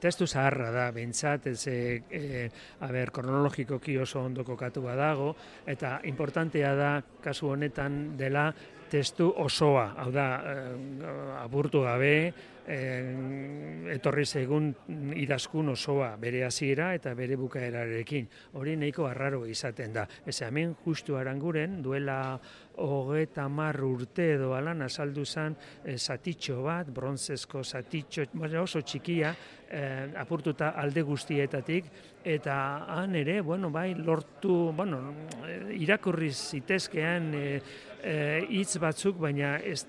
testu zaharra da, behintzat, kronologikoki oso ondo kokatua dago, eta importantea da, kasu honetan dela, testu osoa, hau da, apurtu gabe, etorri zaigun idazkun osoa, bere hasiera eta bere bukaerarekin. Hori nahiko arraro izaten da. Hemen justu Aranguren, duela 30 urte edo alan azaldu zen zatitxo bat, bronzezko zatitxo, oso txikia, apurtuta alde guztietatik, eta han ere, lortu, irakurri zitezkean hitz batzuk, baina ez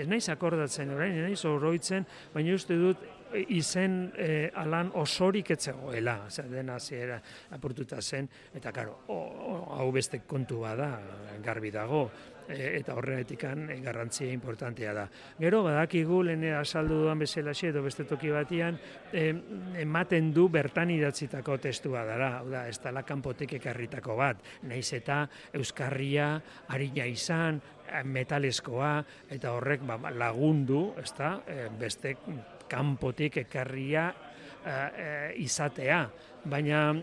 naiz akordatzen orain, ez naiz oroitzen, baina uste dut izen alan osorik etzegoela, dena hasiera apurtuta zen, eta karo, hau beste kontu bada, garbi dago, eta horregatikan garrantzia importantea da. Gero, badakigu, lehen azaldu duan bezalaxe edo beste toki batian, ematen du bertan idatzitako testua dara, hau da, ez dela kanpotik ekarritako bat, nahiz eta euskarria arina izan, metaleskoa, eta horrek lagundu, beste kanpotik ekarria izatea. Baina,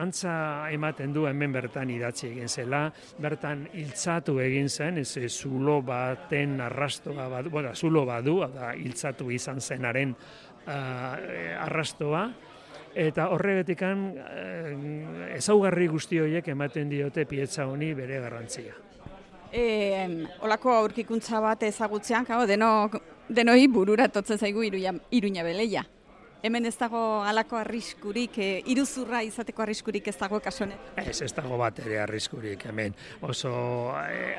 antza ematen du hemen bertan idatzi egin zela, bertan hiltzatu egin zen, zulo baten arrastoa, zulo badu, hiltzatu izan zenaren arrastoa, eta horregatikan ezaugarri guzti horiek ematen diote pieza honi bere garrantzia. Olako aurkikuntza bat ezagutzean, denoi burura totzen zaigu Iruña Beleia. Hemen ez dago halako arriskurik, iruzurra izateko arriskurik ez dago kasuan? Ez dago bat ere arriskurik hemen. Oso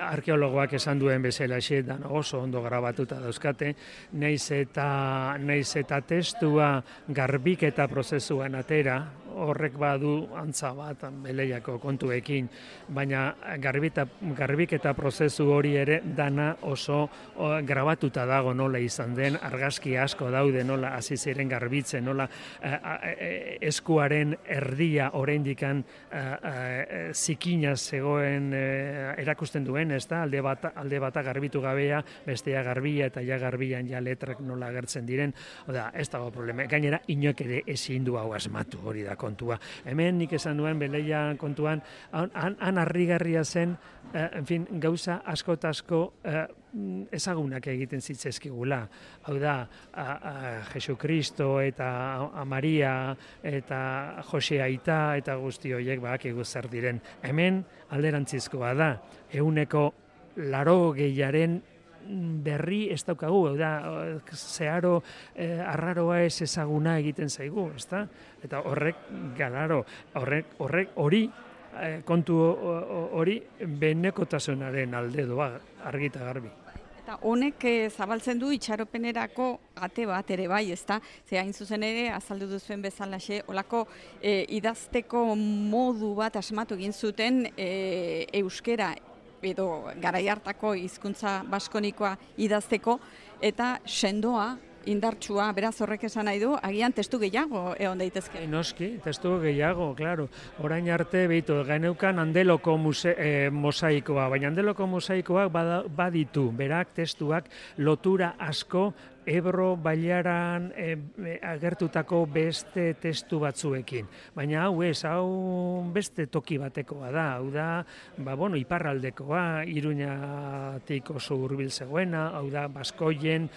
arkeologoak esan duen bezala dan oso ondo grabatuta dauzkate, nahiz eta testua garbiketa prozesuan atera, horrek badu antza bat Beleiako kontuekin, baina garbiketa prozesu hori ere dana oso grabatuta dago nola izan den, argazki asko daude nola hasi ziren garbitzen, nola eskuaren erdia oraindikan zikina zegoen erakusten duen, ez da, alde bata garbitu gabea, bestea garbia eta ja garbian ja letrak nola agertzen diren, ez dago problema. Gainera, inork ere ezin du hau asmatu, hori da kontua. Hemen nik esan duen Beleia kontuan, han harrigarria zen, gauza asko ezagunak egiten zitzezkigula. Hau da, Jesukristo eta Maria eta Jose Aita eta guzti horiek badakigu zer diren. Hemen alderantzizkoa da, 80% berri ez daukagu, zeharo arraroa ez ezaguna egiten zaigu, ezta? Eta hori kontu hori benekotasunaren alde doa, argi eta garbi. Eta honek zabaltzen du itxaropenerako ate bat ere bai, ezta? Ze hain zuzen ere, azaldu duzuen bezalaxe, olako idazteko modu bat asmatu egin zuten euskera edo garai hartako hizkuntza baskonikoa idazteko, eta sendoa, indartsua, beraz horrek esan nahi du, agian testu gehiago egon daitezke. Noski, testu gehiago, klaro. Orain arte, geneukan Andeloko mosaikoa, baina Andeloko mosaikoak baditu, berak testuak lotura asko Ebro bailaran agertutako beste testu batzuekin. Baina hau beste toki batekoa da, hau da, iparraldekoa, Iruñatik oso hurbil zegoena, hau da, Baskoien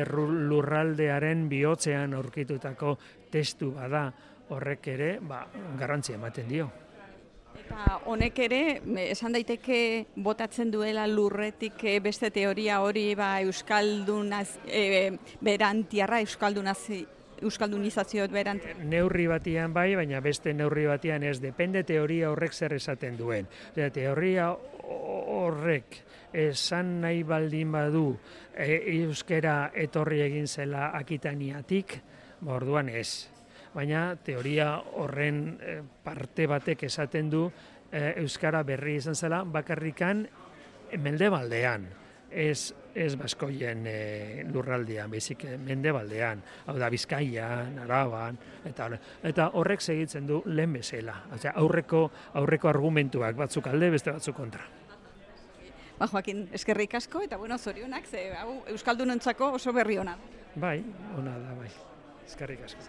lurraldearen bihotzean aurkitutako testu bada, horrek ere, garrantzia ematen dio. Eta honek ere, esan daiteke botatzen duela lurretik beste teoria hori euskaldunaz, berantiarra, euskaldunizazioet berantiarra. Neurri batian bai, baina beste neurri batian ez, depende teoria horrek zer esaten duen. Teoria horrek esan nahi baldin badu euskera etorri egin zela Akitaniatik, orduan ez. Baina teoria horren parte batek esaten du euskara berri izan zela bakarrikan mendebaldean, ez Baskoien lurraldean, baizik mendebaldean, hau da Bizkaian, Araban, eta horrek segitzen du lehen bezala, aurreko argumentuak batzuk alde, beste batzuk kontra. Joakin, eskerrik asko eta zorionak, hau euskaldunontzako oso berri ona. Bai, ona da, bai. Eskerrik asko.